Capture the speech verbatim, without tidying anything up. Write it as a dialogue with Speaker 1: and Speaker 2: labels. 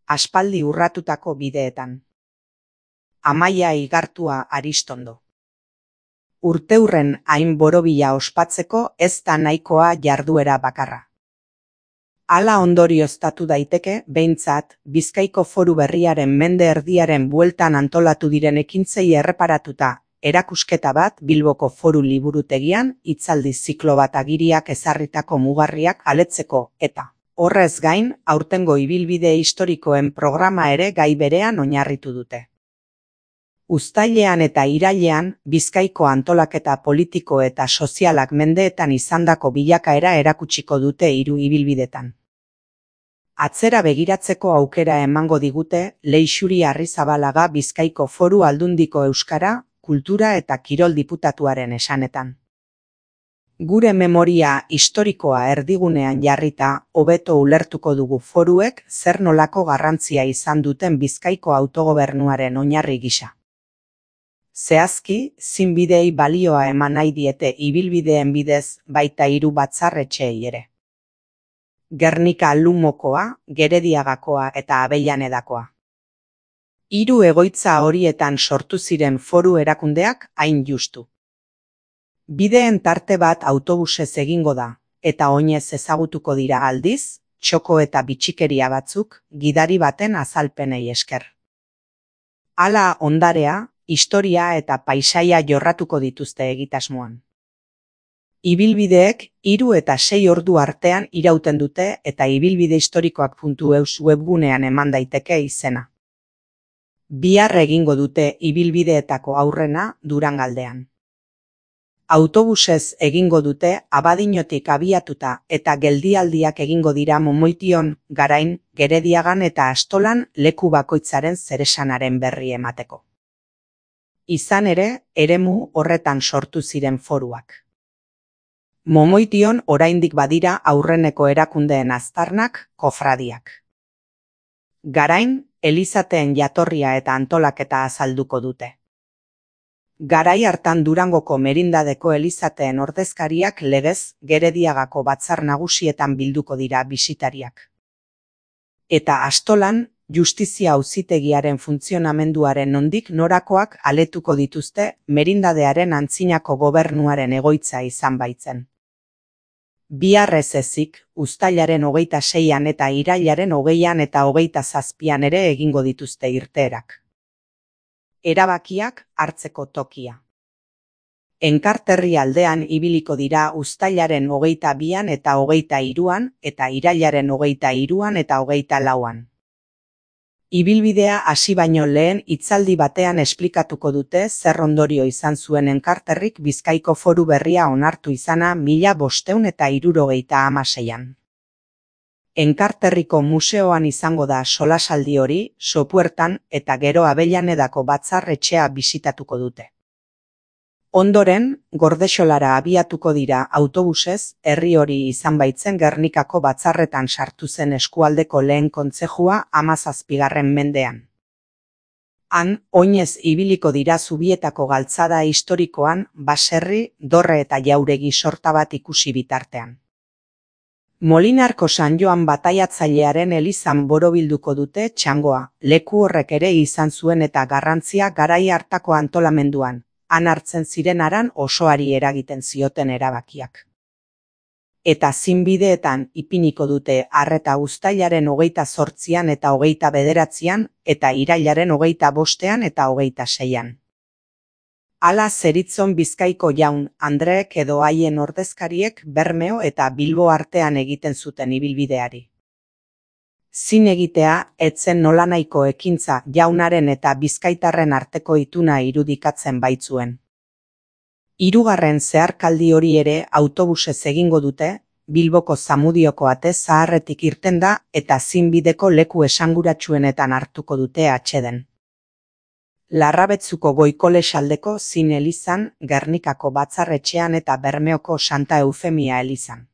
Speaker 1: aspaldi urratutako bideetan. Amaia Igartua Aristondo. Urteurren hain borobila ospatzeko ez da nahikoa jarduera bakarra. Hala ondorioztatu daiteke, behintzat, Bizkaiko Foru Berriaren mende erdiaren bueltan antolatu diren ekintzei erreparatuta, erakusketa bat Bilboko Foru Liburutegian, hitzaldi ziklo bat agiriak ezarritako mugarriak aletzeko, eta, horrez gain, aurtengo ibilbide historikoen programa ere gai berean oinarritu dute. Uztailean eta irailean, Bizkaiko antolaketa politiko eta sozialak mendeetan izandako bilakaera erakutsiko dute hiru ibilbidetan. Atzera begiratzeko aukera emango digute Leixuri Arrizabalaga Bizkaiko Foru Aldundiko Euskara, Kultura eta Kirol Diputatuaren esanetan. Gure memoria historikoa erdigunean jarrita, hobeto ulertuko dugu foruek zer nolako garrantzia izan duten Bizkaiko autogobernuaren oinarri gisa. Zehazki, zinbideei balioa eman nahi diete ibilbideen bidez baita hiru batzarretxeei ere. Gernika Lumokoa, Gerediagakoa eta Abellanedakoa. Hiru egoitza horietan sortu ziren foru erakundeak hain justu. Bideen tarte bat autobusez egingo da, eta oinez ezagutuko dira aldiz, txoko eta bitxikeria batzuk gidari baten azalpenei esker. Hala ondarea, historia eta paisaia jorratuko dituzte egitasmoan. Ibilbideek hiru eta sei ordu artean irauten dute eta ibilbide historikoak puntu eus webgunean eman daiteke izena. Bihar egingo dute ibilbideetako aurrena Durangaldean. Autobusez egingo dute Abadiñotik abiatuta eta geldialdiak egingo dira Momoition, Garain, Gerediagan eta Astolan leku bakoitzaren zeresanaren berri emateko. Izan ere, eremu horretan sortu ziren foruak. Momoition oraindik badira aurreneko erakundeen aztarnak, kofradiak. Garain, elizateen jatorria eta antolaketa azalduko dute. Garai hartan Durangoko merindadeko elizateen ordezkariak legez Gerediagako batzar nagusietan bilduko dira bisitariak. Eta Astolan, justizia auzitegiaren funtzionamenduaren nondik norakoak aletuko dituzte merindadearen antzinako gobernuaren egoitza izan baitzen. Bihar ez ezik, uztailaren hogeita seian eta irailaren hogeian eta hogeita zazpian ere egingo dituzte irteerak. Erabakiak hartzeko tokia. Enkarterri aldean ibiliko dira uztailaren hogeita bian eta hogeita hiruan eta irailaren hogeita hiruan eta hogeita lauan. Ibilbidea hasi baino lehen hitzaldi batean esplikatuko dute zer ondorio izan zuen Enkarterrik Bizkaiko Foru Berria onartu izana mila bostehun eta hirurogeita hamaseian. Enkarterriko museoan izango da solasaldi hori, Sopuertan eta gero Avellanedako batzarretxea bisitatuko dute. Ondoren, Gordexolara abiatuko dira autobusez, herri hori izan baitzen Gernikako batzarretan sartu zen eskualdeko lehen kontzejua hamazazpigarren mendean. Han, oinez ibiliko dira Zubietako galtzada historikoan, baserri, dorre eta jauregi sorta bat ikusi bitartean. Molinarko San Joan bataiatzailearen elizan borobilduko dute txangoa, leku horrek ere izan zuen eta garrantzia garai hartako antolamenduan, han hartzen ziren haran osoari eragiten zioten erabakiak. Eta zinbideetan ipiniko dute arreta uztailaren hogeita zortzian eta hogeita bederatzian eta irailaren hogeita bostean eta hogeita seian. Hala zeritzon Bizkaiko jaun Andreek edo haien ordezkariek Bermeo eta Bilbo artean egiten zuten ibilbideari. Zin egitea etzen nolanahiko ekintza jaunaren eta bizkaitarren arteko ituna irudikatzen baitzuen. Hirugarren zeharkaldi hori ere autobusez egingo dute, Bilboko Zamudioko ate zaharretik irten da eta zinbideko leku esanguratsuenetan hartuko dute atseden. Larrabetzuko Goikolesaldeko Zin elizan, Gernikako batzarretxean eta Bermeoko Santa Eufemia elizan.